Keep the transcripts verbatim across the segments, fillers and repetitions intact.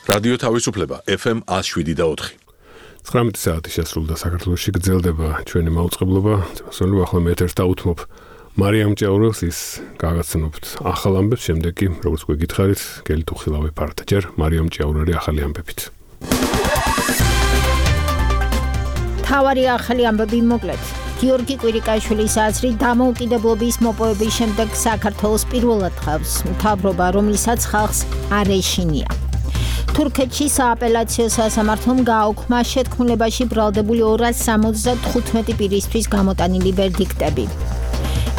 რადიო თავისუფლება F M one oh seven და four. ცხრამეტი საათი შესრულდა საქართველოში გრძელდება ჩვენი მაუწყებლობა. წესრიგ ახლა მე ეთერს დავუთმობ მარიამ ჭეაურელს ის გაგაცნობთ ახალ ამბებს, შემდეგ კი როგორც გვეკითხარით, გელი თუ ხილავე ფართ. ჯერ მარიამ ჭეაურელი ახალი ამბებით. თავარი ახალი ამბები მოკლედ. გიორგი კვირიკაშვილის აზრით დამოუკიდებლობის მოპოვების შემდეგ საქართველოს პირველად ხავს მთავრობა, რომელსაც ხალხს არ ეშინია. თურქეთში სააპელაციო სასამართლომ გააუქმა შეთქმულებაში ბრალდებული ორას სამოცდათხუთმეტი პირისთვის გამოტანილი ვერდიქტები.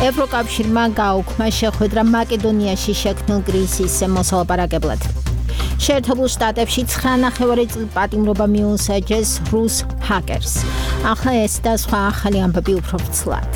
ევროკავშირმა გააუქმა შეხვედრა მაკედონიაში შექმნილ კრიზისზე მოსალაპარაკებლად. შეერთებულ შტატებში ცხრა ნახევარი წლის პატიმრობა მიუსაჯეს რუს ჰაკერს. ახლა ეს და სხვა ახალი ამბები უფრო ფცლად.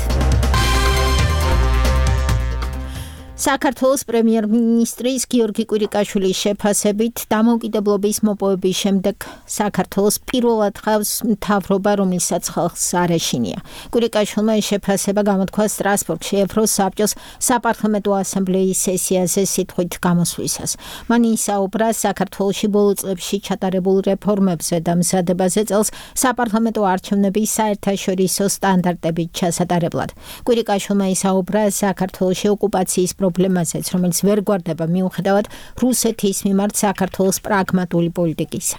საქართველოს პრემიერ-მინისტრის გიორგი კვირიკაშვილის შეფასებით დამოუკიდებლობის მოპოვების შემდეგ საქართველოს პირველად ხავს მთავრობა, რომელსაც ხალხს არ ეშინია. კვირიკაშვილმა ეს შეფასება გამოთქვა სტრასბურგში ევროსაბჭოს საპარლამენტო ასამბლეის სესიაზე სიტყვით გამოსვლისას. მან ისაუბრა საქართველოში ბოლო წლებში ჩატარებულ რეფორმებზე და მზადებაზე წელს საპარლამენტო არჩევნების საერთაშორისო სტანდარტებით ჩასატარებლად. კვირიკაშვილმა ისაუბრა საქართველოში ოკუპაციის პრობლემაზეც, რომელიც ვერ გვარდება მიუხედავად რუსეთის მიმართ საქართველოს პრაგმატული პოლიტიკისა.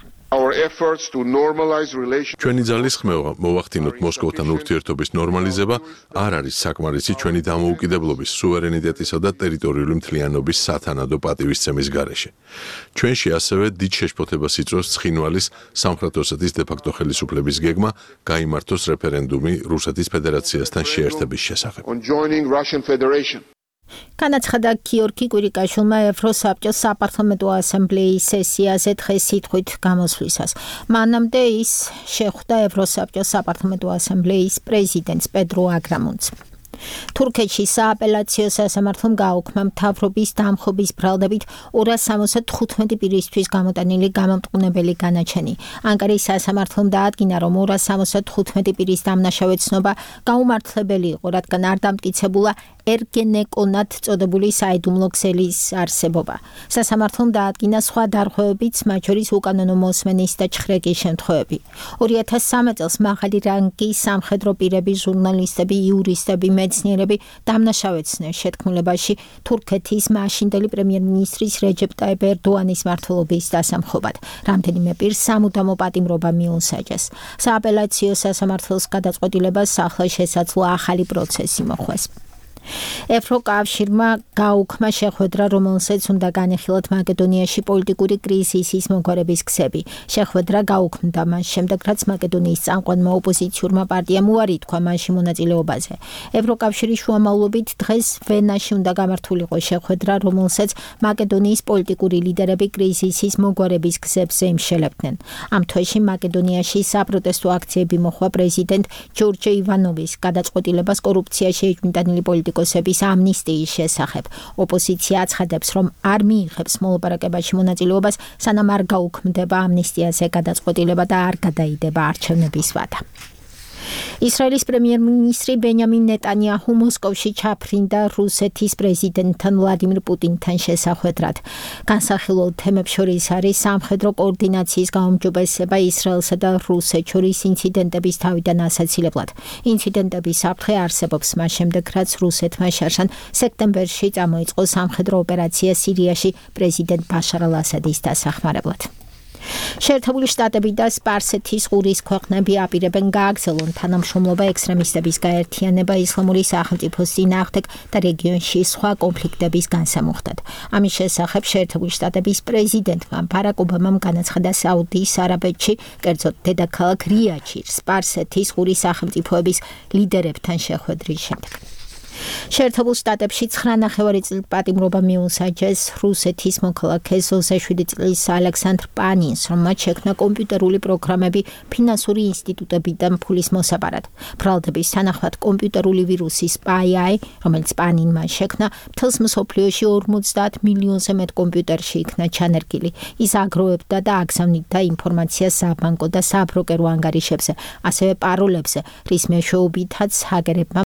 ჩვენი ძალის ხმევა მოვახდინოთ მოსკოვთან ურთიერთობის ნორმალიზება არ არის საკმარისი ჩვენი დამოუკიდებლობის, სუვერენიტეტისა და ტერიტორიული მთლიანობის სათანადო პატივისცემის გარეშე. ჩვენში ასევე დიდ შეშფოთებას იწვევს ცხინვალის სამხრეთ ოსეთის დე-ფაქტო ხელისუფლების გეგმა გაიმართოს რეფერენდუმი რუსეთის ფედერაციასთან შეერთების შესახებ. განაცხადა გიორგი კვირიკაშვილმა ევროსაბჭოს საპარლამენტო ასამბლეის სესიაზე დღეს სიტყვით გამოსვლისას. მანამდე ის შეხვდა ევროსაბჭოს საპარლამენტო ასამბლეის პრეზიდენტს პედრო აგრამუნს. თურქეთში სააპელაციო სასამართლომ გააუქმა მთავრობის დამხობის ბრალდებით ორას სამოცდათხუთმეტი პირისთვის გამოტანილი გამამტყუნებელი განაჩენი. ანკარის სასამართლომ დაადგინა, რომ ორას სამოცდათხუთმეტი პირის დამნაშავე ცნობა გაუმართლებელი იყო, რადგან არ დამტკიცებულა ერგენეკონად წოდებული საიდუმლო ქსელის არსებობა. სასამართლომ დაადგინა სხვა დარღვევებიც, მათ შორის უკანონო მოსმენის და ჩხრეკის შემთხვევები. ორი ათას სამი წელს მაღალი რანგის სამხედრო პირები, ჟურნალისტები, იურისტები, მეცნიერები დამნაშავეცნეს შეთქმულებაში თურქეთის მაშინდელი პრემიერ-მინისტრის რეჯეპ ტაიპ ერდოანის მმართველობის დასამხობად. რამდენიმე პირს სამუდამო პატიმრობა მიუსაჯეს. სააპელაციო სასამართლოს გადაწყვეტილებას ახლა შესაძლოა ახალი პროცესი მოხვეს. ევროკავშირმა გააუქმა შეხვედრა, რომელსაც უნდა განეხილოთ მაკედონიაში პოლიტიკური კრიზისის მოგვარების გზები. შეხვედრა გააუქმდა მას შემდეგ, რაც მაკედონიის წამყვანმა ოპოზიციურმა პარტიამ უარი თქვა მასში მონაწილეობაზე. ევროკავშირის შუამავლობით დღეს ვენაში უნდა გამართულიყო შეხვედრა, რომელსაც მაკედონიის პოლიტიკური ლიდერები კრიზისის მოგვარების გზებზე იმშელებდნენ. ამ თვეში მაკედონიაში საპროტესტო აქციები მოხდა პრეზიდენტ ჯორჯ ივანოვის გადაწყვეტილებას კორუფციაში ეჭვმიტანილი პოლიტიკოსების ამნისტიის შესახებ. ოპოზიცია აცხადებს, რომ არ მიიღებს მოლაპარაკებაში მონაწილეობას, სანამ არ გაუქმდება ამნისტიაზე გადაწყვეტილება და არ გადაიდება არჩევნების ვადა. ისრაელის პრემიერ-მინისტრი ბენიამინ ნეტანიაჰუ მოსკოვში ჩაფრინდა რუსეთის პრეზიდენტთან ვლადიმირ პუტინთან შესახვედრად. განსახილველ თემებს შორის არის სამხედრო კოორდინაციის გაუმჯობესება ისრაელსა და რუსეთს შორის ინციდენტების თავიდან ასაცილებლად. ინციდენტების საფრთხე არსებობს მას შემდეგ, რაც რუსეთმა შარშან სექტემბერში წამოიწყო სამხედრო ოპერაცია სირიაში პრეზიდენტ ბაშარ ალ-ასადის დასახმარებლად. შეერთებული შტატები და სპარსეთის ყურის ქვეყნები აპირებენ გააგრძელონ თანამშრომლობა ექსტრემისტების გაერთიანება ისლამური სახელმწიფოს წინააღმდეგ და რეგიონში სხვა კონფლიქტების განსამუხტად. ამის შესახებ შეერთებული შტატების პრეზიდენტმა ბარაკ ობამამ განაცხადა საუდის არაბეთში, კერძოდ დედაქალაქ რიადში, სპარსეთის ყურის სახელმწიფოების ლიდერებთან შეხვედრის შემდეგ. შეერთებულ შტატებში ცხრა ნახევარი წლის პატიმრობა მიუსაჯეს რუსეთის მოქალაქეს ოცდაშვიდი წლის ალექსანდრ პანინს, რომ მათ შექმნა კომპიუტერული პროგრამები ფინანსური ინსტიტუტებიდან ფულის მოსაპარად. ბრალდების თანახმად კომპიუტერული ვირუსი SpyEye, რომელიც პანინმა შექმნა, მთელს მსოფლიოში ორმოცდაათ მილიონზე მეტ კომპიუტერში იქნა ჩანერგილი. ის აგროვებდა და აგზავნიდა ინფორმაციას საბანკო და საბროკერო ანგარიშებზე, ასევე პაროლებზე, რის მეშვეობითაც ჰაკერებმა